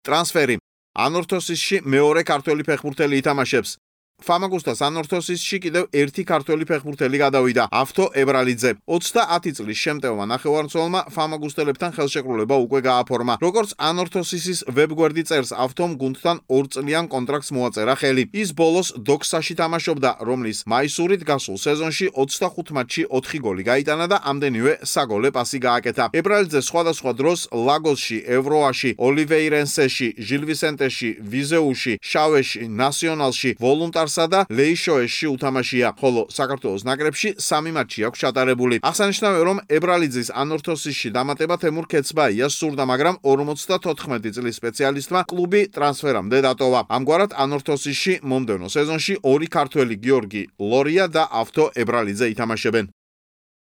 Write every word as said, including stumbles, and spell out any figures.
ტრანსფერი. ანორთოსისში მეორე ქართველი ფეხბურთელი ითამაშებს. Famagustas Anorthosisში კიდევ ერთი ქართველი ფეხბურთელი გადავიდა, ავთო ებრალიძე. ოცდაათი წლის შემტევმა ნახევარმცველმა Famagusteლებთან ხელშეკრულება უკვე გააფორმა. როგორც Anorthosisის ვებგვერდი წერს, ავთომ გუნდთან ორწლიან კონტრაქტს მოაწერა ხელი. ის ბოლოს დოქსაში თამაშობდა, რომლის მაისურით გასულ სეზონში ოცდახუთ მატჩში ოთხი გოლი გაიტანა და ამდენივე საგოლე პასი გააკეთა. ებრალიძე სხვადასხვა დროს ლაგოსში, ევროაში, ოლივეირენსეში, ჟილვისენტეში, ვიზეუში, შავეში, ნასიონალში, ვოლუნტარს და ლეიშოეში უთამაშია, ხოლო საქართველოს ნაკრებში სამი მატჩი აქვს ჩატარებული. აღსანიშნავია, რომ ებრალიძის Anorthosisში დამატება თემურ ქეცბაიას სურდა, მაგრამ ორმოცდათოთხმეტი წლის სპეციალისტმა კლუბი ტრანსფერამდე დატოვა. ამგვარად Anorthosisში მომდევნო სეზონში ორი ქართველი გიორგი ლორია და ავთო ებრალიძე ითამაშებენ.